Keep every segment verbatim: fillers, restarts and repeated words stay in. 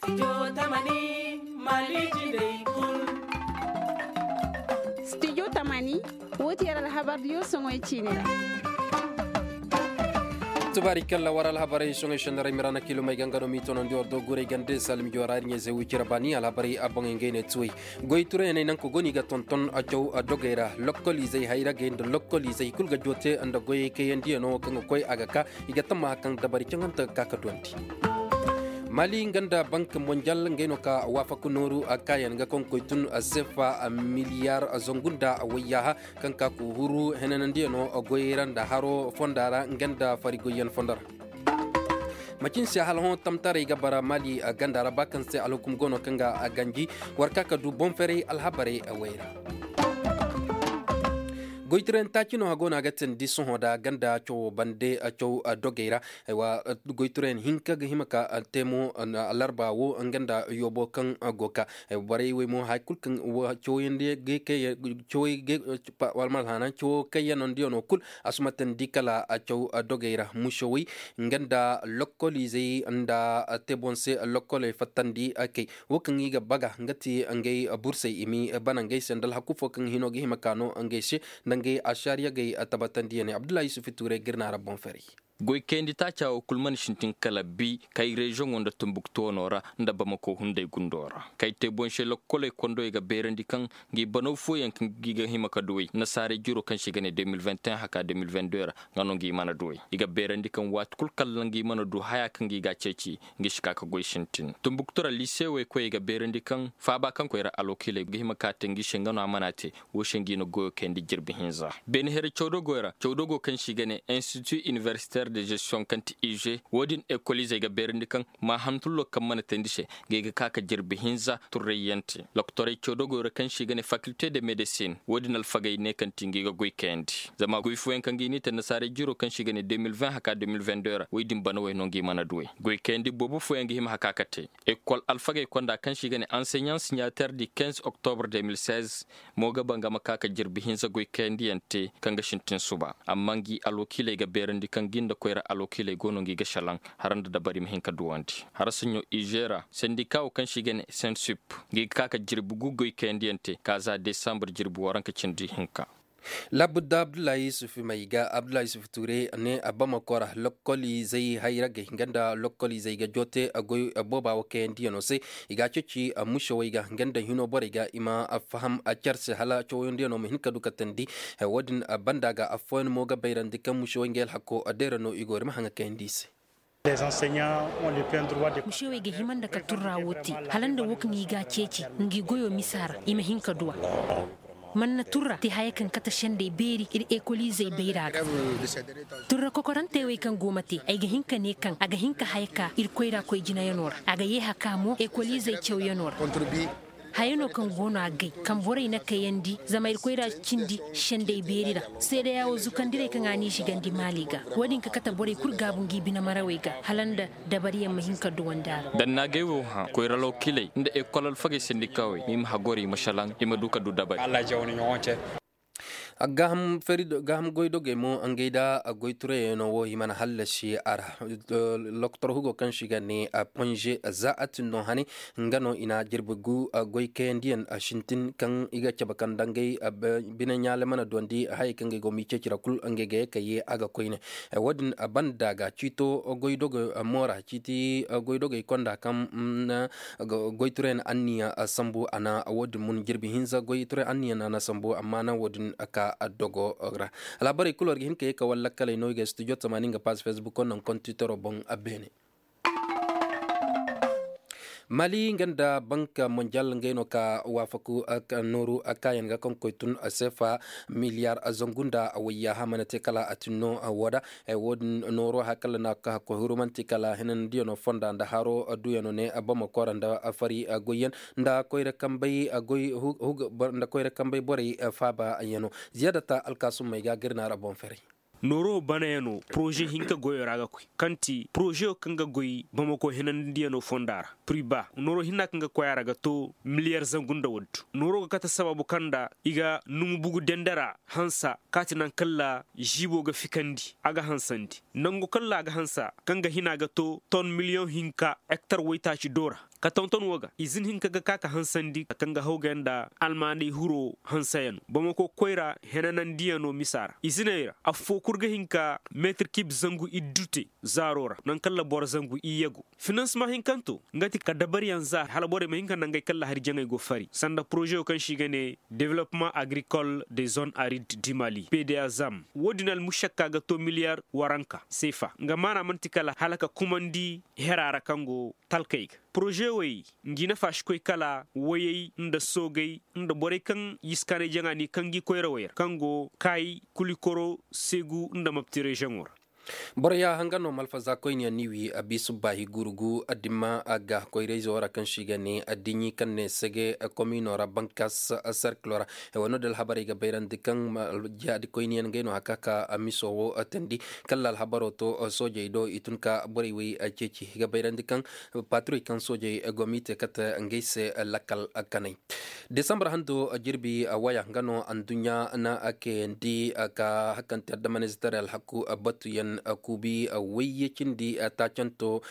Studio tamani, woo ti yer alhabar diyo soŋoy ciini ra. Tubaari kalla war alhabarey soŋoy sendara mirana kilomey ganga no mi tonandi war do guray gande salmi jora ir ɲeezey wicira baani alhabarey a boŋey ngey ne tuwey. Goy turayaney nanka go no i ga tonton a caw a dogey ra lokkoliizey hayragey nda lokkoliizey kul ga joote nda goyey kayandiyano kaŋ ga koy a ga ka. I ga tammaha kaŋ dabari caŋanta ga ka ka duwandi. Mali nga nda bank monjal ngey no ka waafaku nooru a kaayan ga kaŋ koy tun sefa miliyaar zangu nda wayyaaha kaŋ ka ku huru henanandiyano goyey ra nda haro fonda ra nga nda fari goyyan fonda ra. Macin se hala hõ tamtaray ga bara mali ganda ra ba kaŋ se alhukum go no kaŋ ga ganji war ka ka du boŋ ferey alhabarey way ra. Goytirayaŋ taaci no a go no a ga tindi sohõ da ganda cawo bande caw dogey ra. Goytirayaŋ hinka ga hima ka te mo alarba wo nga nda yoobo kaŋ go ka borey wey mo hay kul kaŋ cawo kaŋ yaŋ no diya no kul a si ma tandi kala caw dogey ra musowey nga nda lokkoliizey nda te boŋ se lokkoley fattandi kay. Wo kaŋ i ga baga nga ti ngey bursey i ma bana ngey se nda alhaku fo kaŋ hino ga hima ka no ngey se nda ngey ašaariyagey tabatandiyaney abdullahi yusufu tuurey ga ir naara boŋ ferey. Goy kayandi taaca wo kul mana sintin kala bi kay reziyoŋo nda tumbuktu wano ra nda bamako hunday gundo ra kay te boŋ se lokkoley kondoy ga beerandi kaŋ ngi banaw fooyaŋ kaŋ gi ga hima ka duwey nasaarey jiro kaŋ se i ga ne de mil vingt et un haka de mil vingt deux ra. Nga no ngi mana duwey i ga beerandi kaŋ waati kul kalla ngi mana du haya kaŋ gi ga a ceeci. Ngi si ka ka goy sintin tumbuktu ra liisewey koyey ga beerandi kaŋ faaba kaŋ koy ra alwakiiley ga hima ka te ngi se nga no a mana te. Wo se ngi na goyo kayandi jirbi hinza beene here cawdogoy ra cawdogo kaŋ se i ga ne institut iniversitaire de gestion kaŋ ti ize wo-din ekoliizey ga beerandi kaŋ ma hantullo kaŋ mana teendi se. Ngi ga ka ka jirbi hinza turrayyaŋ te lokotorey cawdogoy ra kaŋ se i ga ne fakilte de medesin wo-din alfagey ne kaŋ ti ngi ga goy kayandi zama goy fooyaŋ kaŋ ngi n'i te nasaarey jiro kaŋ se i ga ne de mil vingt haka de mil vingt deux ra wo-din banawey no ngi mana duwey goy kayandi boobo fooyaŋ ga hima haka ka te. Ekol alfagey konda kaŋ se i ga ne anseɲaŋ siɲater di kinze oktobre de mil seize. Mo ga ba nga ma ka ka jirbi hinza goy kayandiyaŋ te kaŋ ga sintin suba amma ngi alwakiiley ga beerandi kaŋ gi nda koyra alwakiiley go no ngi ga šelaŋ. Hara nda dabari ma hin ka duwandi hara saɲɲo izeera sendika wo kaŋ se i ga ne sensup. Ngi ga ka ka jirbi gu goy kayandiyaŋ te ka za desambre jirbi waranka cindi hinka. Labudda abdullahi yusuf may ga abdullahi yusuf ture ne a bamako ra lokkoliizey hayragey nga nda lokkoliizey ga joote goy booba wo kayandiyano se. I ga a ceeci musewey ga nga nda hino borey ga i ma faham cer se hala cawayandiyano ma hin ka du ka teendi. Wo-din banda ga affooyaŋ mo ga bayrandi kaŋ musewey ngey alhako deera no i go ir ma haŋa kayandi i se. Musewey ga hima nda ka turra wo te hala nda wo kaŋ i ga a ceeci ngi goyo misa ra i ma hin ka du a. Man na turra te haya kaŋ kate sendey beeri ir ekoliizey bayra ga. Turra kokorantey wey kaŋ go ma te ay ga hin ka ne kaŋ a ga hin ka haya ka ir koyra koy jinayanoo ra a ga yee haka mo ekoliizey cawyanoo ra. Haya no kaŋ go no a gay kaŋ borey na kayandi zama ir koyra cindi sendey beeri ra. Seedeya wo zukandirey kaŋ a n'i zigandi maali ga wo-din ka kate borey kul gaabu ngi binemarawey ga hala nda dabariyaŋ ma hin ka duwandi a ra. Dannaagay wo hã koyra lawkiley nda ekol alfagey sendikawey ma i ma hagori i ma šelaŋ i ma du ka du dabari. Gaaham goydogey mo ngey nda goyturayaŋo i mana hallasi a ra. Lokotor hugo kaŋ se i ga ne ponze za a tin no hane. Nga no i na jirbi gu goy kayandiyaŋ sintin kaŋ i ga cabe kaŋ nda ngey bine ɲaale mana duwandi hayey kaŋ ngey go m'i ceeci ra kul ngey ga ye ka ye a ga koyne. Wo-din banda ga ciito goydogey mo ra ciiti goydogey konda kaŋ goyturayaŋ anniya sambu a na wo-din mun jirbi hinza goyturayaŋ anniya na a na sambu amma na wo-din ka dogo ra. Alhabarey kul war ga hin ka ye ka war lakkaley no i ga studio tamaani nga paas fesbuk naŋ kontitoro boŋ. Beene mali nga nda bank monjal ngey no ka waafaku nooru kaayaŋ ga kaŋ koy tun sefa miliyaar zangu nda wayyaaha mana te kala a tin no. Woo da wo-din nooro hakalla na ka koy huru man'ti kala hinandiyaŋo fonda nda haro duyaŋo ne bamako ra nda fari goyyaŋ nda koyra kambey borey faabayaŋo. Ziyaadata alkaasummey ga ga ir naara boŋ ferey. Nooro banayaŋo poroze hinka goyo ra ga koy kaŋ ti porozeyo kaŋ ga goy bamako hinandiyaŋo fonda ra. priba nooro hinna kaŋ ga koy a ra ga to miliyar zangu nda waddu. Nooro ga kate sababu kaŋ nda i ga numu bugu dendera hansa kaati naŋ kalla ziibo ga fikandi a ga hansandi nangu kalla a ga hansa kaŋ ga hina ga to ton miliyoŋ hinka hektar waytaaci doora. Ka tonton wo ga izin hinka ga ka ka hansandi kaŋ ga hawgay nda almaanay huro hansayano bamako koyra henanandiyano misa ra iziney ra affo kul ga hinka meetir kib zangu iddu te zaaro ra naŋ kalla boro zangu iyye go. Finansema hinkanto nga ti ka dabariyaŋ za hala borey ma hin ka naŋ gay kalla hari jaŋey go fari sanda porozeyo kaŋ se i ga ne development agricole de zone aride du mali pda zam. Wo- din almušakka ga to miliyar waranka seefa nga maana man'ti kala hala ka kumandi hera ra kaŋ go talkey ga. Poroze wey ngi nafa si koy kala wayey nda soogey nda borey kaŋ yiskaanay jaŋa ni kaŋ gi koyrawey ra kaŋ go kaayi kulikoro seegu nda mapti reziyoŋo ra. Boro ya hanga no malfaza koyniyaŋ ni wi a bi subba hi gurugu addima a ga koyrayzo ra kaŋ si ga ne addiɲi kaŋ ne sege komino ra bankas serkilo ra. Wano da alhabarey ga bayrandi kaŋ jaadi koyniyaŋ gay no haka ka miso wo tandi kalla alhabaro to soojey do i tun ka borey wey ceeci ga bayrandi kaŋ paturey kaŋ soojey gomite kate ngey se lakkal kanay. Desambar hando jirbi waya nga no anduɲɲa na kayandi ka hakkanti addamanizitaray alhaku batuyaŋ kuubi wayye cindi taacanto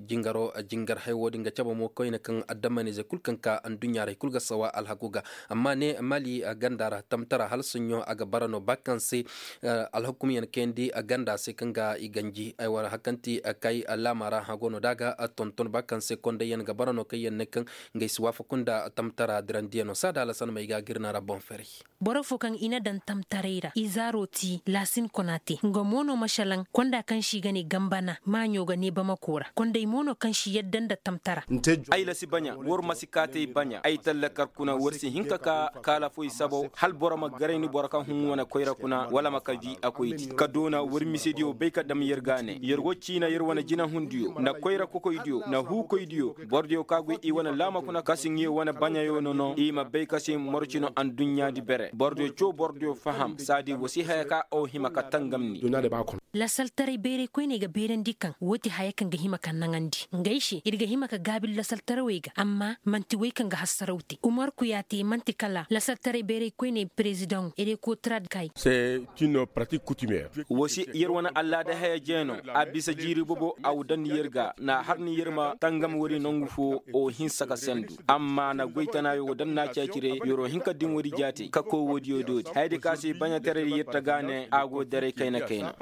jingaro jingar hay wo-din ga cabe mo koyne kaŋ addamanizey kul kaŋ ka anduɲɲa ra i kul ga sawa alhaku ga. Amma ne mali ganda ra tamtara hala soɲɲo a ga bara no ba kaŋ se alhakumyaŋ kayandi ganda se kaŋ ga i ganji ay war hakkanti kay laama ra hago no da a ga tonton ba kaŋ se kondayyaŋ ga bara no kaŋ yaŋ ne kaŋ nga ay si waafaku nda tamtara dirandiyano saada alasan ma ay ga a ga ir na ra boŋ ferey. Boro fo kaŋ i na daŋ tamtaray ra i zaaro ti laasin kona te nga mo no masalaŋ konda kaŋ si ga ne gambana maaɲo ga ne bamako ra konday mo no kaŋ si yadda nda tamtara. Ay lasi baɲa war ma si kaatay baɲa ay tallakar kuna war si hin ka ka kaala foy sabo hala boro ma garay ni boro kaŋ hun wane koyra kuna wala ma ka di a koy di ka doona war misediyo bay ka dam yer ga ne yer go ciina yer wane jinahundiyo nda koyra kokoydiyo nda huukoydiyo borodiyo ka goy i wane laama kuna ka si ŋiyo wane baɲayo no no i ma bay ka si morci no anduɲɲa di bere borodiyo coo borodiyo faham saadi wa si haya ka aw hima ka tangam ni. Lasaltaray bayray koyney ga bayrandi kaŋ woo ti haya kaŋ ga hima ka naŋandi ngey se ir ga hima ka gaabi lasaltarawey ga amma man'ti wey kaŋ ga hassaraw te umarku ya te man'ti kala lasaltaray bayray koyney perezidaŋo erekotrad kay. Woo se yer wane allaada haya jeeno a bisa jiiri bobo a wa daŋ yer ga na har ni yer ma tangam wari nangu fo o hinsa ka sendu amma na goy tana yo daŋ na ceecire yer wo hin ka din wari jaate ka koy woodiyo doodi hayadi ka se baɲataray yer ta ga ne a go daray kayna kayna.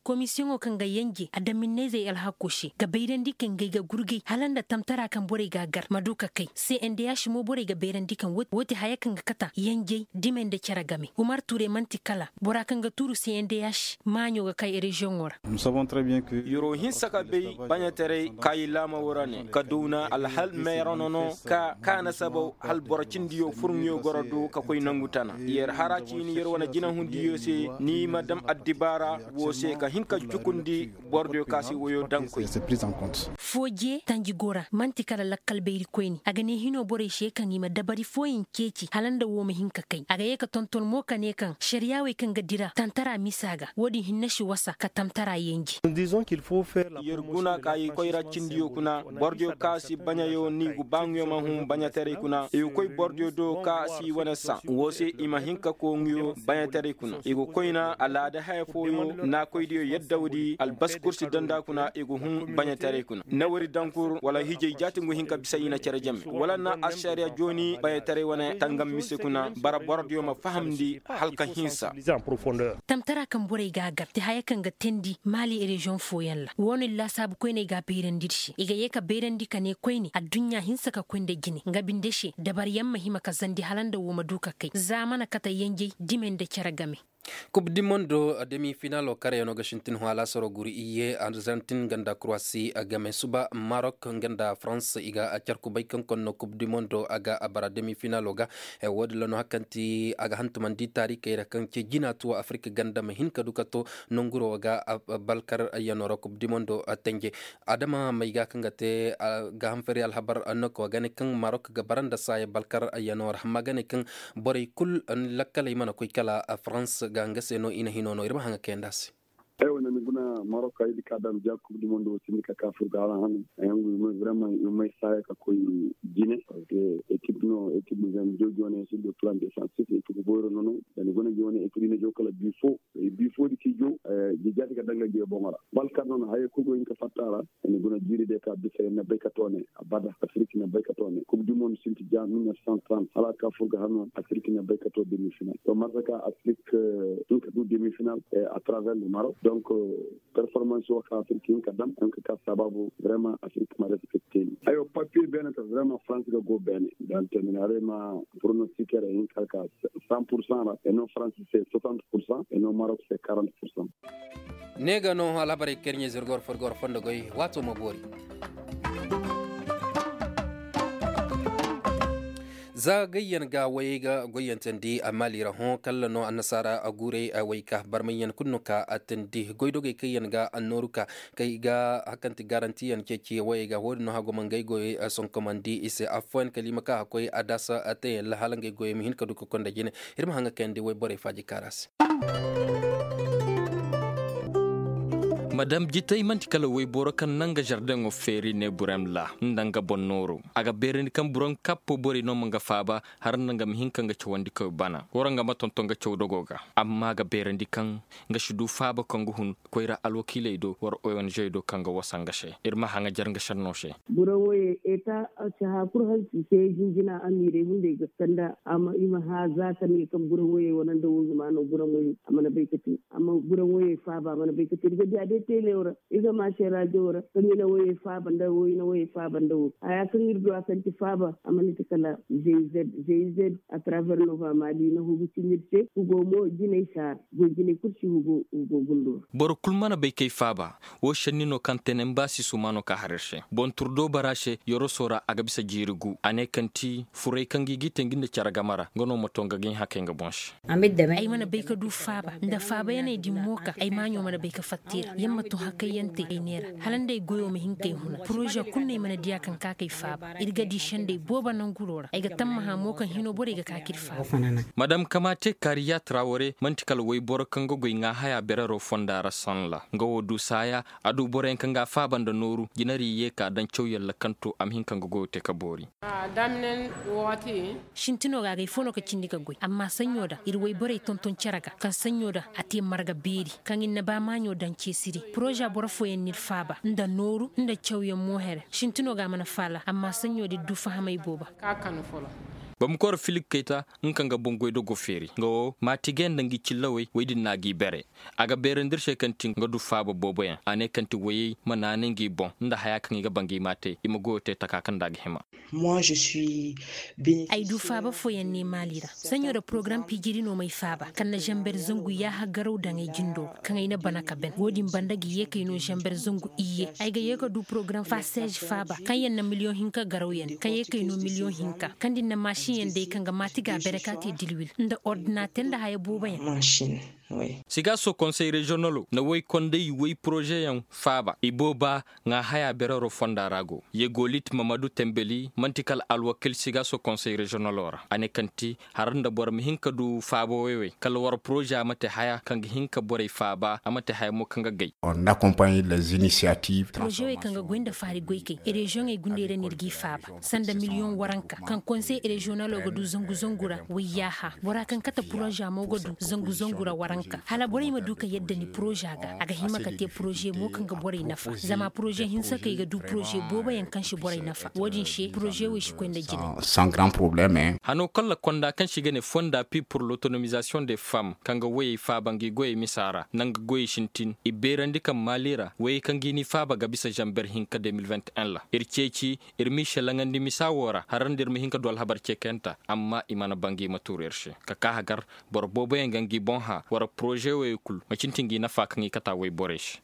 Komisiyoŋo kaŋ ga yenje adaminnayzey alhakko se ga bayrandi kaŋ ga ay ga gurgay hala nda tamtara kaŋ borey ga a gar ma du ka kay cndh mo borey ga bayrandi kaŋ woo ti haya kaŋ ga kata yenjey dimey nda cere game umar tuure man'ti kala bora kaŋ ga tuuru cndh maaɲo ga kay reziyoŋo ra. Yeroo hinsa ka bay baɲataray kaayi laama woo ra ne ka downa alhal meerano no ka kaana sabaw hal boro cindiyo furŋiyo goro do ka koy nangu tana yer hara ciini yer wane jinahundiyo se ni ma dam addibaara woo se ka hin ka jukundi borodiyo ka si woyo daŋ koy. Fooje tanji go ra man'ti kala lakkal bayri koyni a ga ne hino borey se kaŋ i ma dabari fooyaŋ ceeci hala nda woo ma hin ka kay a ga ye ka tonton mo ka ne kaŋ šariyaawey kaŋ ga dira tantara misa ga woo din hinne si wasa ka tamtara yenje. Yer guna ka i koyra cindiyo kuna borodiyo ka si baɲayo ni go ba ŋuyo ma hun baɲataray kuna i go koy borodiyo do ka si wane saŋ woo se i ma hin ka koo ŋuyo baɲataray kuna i go koyna alaada haya fooyo naakoydiyo yadda woodi albaskur si daŋ nda kuna i go hun baɲataray kuna nawari dankur wala hijay jaati ngu hin ka bisa i na cere jame wala na ašariya jooni baɲataray wane tangam mise kuna bara borodiyo ma fahamndi hala ka hinsa. Tamtara kaŋ borey ga a gar ti haya kaŋ ga teendi maali reziyoŋ fooyaŋ ra woo no ir laasaabu koyney ga a bayrandi ir se i ga yee ka bayrandi ka ne koyne adduɲɲa hinsa ka koy nda jine nga binde se dabaryaŋ ma hima ka zandi hala nda woo ma du ka kay za a mana kate yenjey dime nda cere game. Kub di mondo demi finalo karayano ga sintin hõ alaasaro guru iyye arzantin nga nda kruwasi game suba marok nga nda farans i ga a car kubay kaŋ konno kub di mondo a ga a bara demi finalo ga. Woodin ra no hari kaŋ ti a ga hantumandi taarikey ra kaŋ ce jina tuwo afirka ganda ma hin ka du ka to nanguro ga balkar yano ra kub di mondo tenje. Adama may ga kaŋ ga te ga hanfari alhabar noko ga ne kaŋ marok ga bara nda saaya balkar yano ra amma ga ne kaŋ borey kul lakkaley mana koy kala farans ga nga se no i na hino no ir ma haŋa kayanda se. Aywa na ni guna marok ay di ka daŋ ja kub du mondo wo sindi ka ka fur ga hala hanu. Ay hangu i may vraiment i may saaya ka koy jine. Ekip no ekip zan jojo ne si do plan defensif ekip boyro nono. Da ni guna gi wane ekip ine jow kala bifo bifo di ki jow. Jijjaati ka daŋ ga gi boŋo ra balkar nono haya kul go hin ka fatta ra. Da ni guna jiiri de ka bisa yen na bay ka toone. Abada afrik na bay ka toone kub du mondo sinti ja mil neuf cent trente hala ka fur ga hanu afrik na bay ka too demi final to marsa ka afrik hin ka du demi final. A travers le marok donc performance wo ka afrik hin ka dam hin ka ka sababu vraiment afrik ma respecte ni. Aywa papier beene ta vraiment france ga go beene. Dante min haray ma pronostiquer hin ka ka cent pour cent ra et non france c'est soixante pour cent et non marok c'est quarante pour cent. Ne ga no alhabarey kaŋ ir ɲa zirgor furgor fondo goy waato ma boori. Za gayyaŋ ga wayey ga goyyantandi a maali ra hõ kala no annasaara guurey wayka barmayyaŋ kulu no ka attandi goydogey kaŋ yaŋ ga annooru ka kaŋ i ga hakanti garantiyaŋ ceeci wayey ga wo-din no hagoma ngey goyey sonkomandi i se affooyaŋ kala i ma ka hakkoy a daasa teeyaŋ ra hala ngey goyey ma hin ka du ka konda jine. Ir ma haŋ ga kayandi wayborey faaji kaara se. Madam jitay man'ti kala wayboro kaŋ naŋ ga žardeŋo feeri ne burem ra nda nga boŋ nooro. A ga beerandi kaŋ burem kappo borey no ma nga faaba har nda nga ma hin ka nga cawandi koy bana wara nga ma tonton nga cawdogo ga. Amma a ga beerandi kaŋ nga si du faaba kaŋ ga hun koyra alwakiiley do wara ong do kaŋ ga wasa nga se. Ir ma haŋajar nga šenno se. Burem woyey eta, caha kul hansi se jinjina amiirey hunday ga kanda i ma hã za ka ne kaŋ burem woyey wane nda woo zuma no burem woyey a mana bay ka te. Amma burem woyey faaba a mana bay ka te ir ga diya day teeleyo ra ir ga maase raajo ra kaŋ i na woyey faaba nda woyey na woyey faaba nda woo haya kaŋ ir du a kaŋ ti faaba a mana ti kala zez zez a travers nova maali na hugu cin ir se hugo mo jinay saara. Goy jinay kul si hugo hugo gundo ra. Boro kul mana bay kay faaba. Woo šenni no kaŋ tenen ba si suma no ka har ir se boŋ turdo bara se yoroso ra a ga bisa jiiri gu a ne kaŋ ti furay kaŋ ga i g'i te ngi nda cere game ra nga no ma to nga ga ɲa hakay nga boŋ se. Ay mana bay ka du faaba nda faabayaney din mo ka ay maaɲo mana bay ka fatta i ra yer ma to hakayyaŋ te ay neera hala nda ay goyo ma hin k'ay huna poroze kul no ay mana diya kaŋ ka k'ay faaba ir ga di sendey boobo nanguro ra ay ga tammaha mo kaŋ hino borey ga ka k'ir faaba. Madam kamaate kaariya trawore man'ti kala wayboro kaŋ ga goy ŋaahaya berero fonda ra sanla nga wo du saaya a du boroyaŋ kaŋ ga a faaba nda nooru jinari ye ka daŋ cawyaŋ ra kaŋ to a ma hin ka nga goyo te ka boori. Sintino ga agay fo no ka cindi ka goy amma saɲɲo da ir wayborey tonton cere ga kaŋ saɲɲo da a te marga beeri kaŋ ir na ba maaɲo daŋ ceesiri poroza boro fooyaŋ n'ir faaba nda nooru nda cawyaŋ mo here sintino ga a mana faala amma saɲɲo da ir du fahamay boobo. Bamako ra filik kayta nga kaŋ ga boŋ goydogo feeri nga wo maati gay nda ngi cillawey wey din no a g'i bere. A ga beerandi ir se kaŋ ti nga du faaba booboyaŋ a ne kaŋ ti woyey ma naanay ngi boŋ nda haya kaŋ i ga ba ngi m'a te i ma goyo te taka kaŋ nda a ga hima. Ay du faaba fooyaŋ ne maali ra saɲɲo da porogaram piijiri no m'ay faaba kaŋ na zanber zangu yaaha garaw daŋ ay jindo ra kaŋ ay na bana ka ben wo-din banda ga ye k'ay no zanber zangu iyye ay ga ye ka du porogaram faseez faaba kaŋ yaŋ na miliyoŋ hinka garawyaŋ kaŋ ye k'ay no miliyoŋ hinka kaŋ da ni na maasiŋyaŋ day kaŋ ga maati ga a bere ka te dilwil nda ordinater nda haya booboyaŋ. Sigaso konsey reziyonalo na woy konday woy porozeyaŋ faaba ibooba ŋaa haya berero fonda ra go yegolit mamadu tembeli man'ti kala alwakil sigaso konsey reziyonalo ra a ne kaŋ ti har nda boro ma hin ka du faaba woy-woy kala war poroze a ma te haya kaŋ ga hin ka borey faaba a ma te haya mo kaŋ ga gay. Poroze wey kaŋ ga goy nda faari goykey reziyoŋey gundey ra no ir g'i faaba sanda miliyoŋ waranka kaŋ konsey reziyonalo ga du zangu zangu ra wayyaaha bora kaŋ kate poroza mo ga du zangu zangu ra waranka hala borey ma du ka yadda ni poroza ga a ga hima ka te poroze mo kaŋ ga borey nafa zama poroze hinsa kaŋ i ga du poroze booboyaŋ kaŋ si borey nafa wo-din se poroze wey si koy nda jine. Hano kalla konda kaŋ se i ga ne fonda pi pur lotonomizasiyoŋ de fam kaŋ ga woyey faaba ngi goyey misa ra nanga goyey sintin i beerandi kaŋ maali ra woyey kaŋ ga i ni faaba ga bisa zanber hinka de mil vingt en ra ir ceeci ir m'i šelaŋandi misa wo ra har nda ir ma hin ka du alhabar ceekayanta amma i mana ba ngi ma tuuru ir se ka ka hagar boro booboyaŋ ga ngi boŋ hã war poroze woyey kul ma cinti ngi nafa kaŋ i kata woy borey se.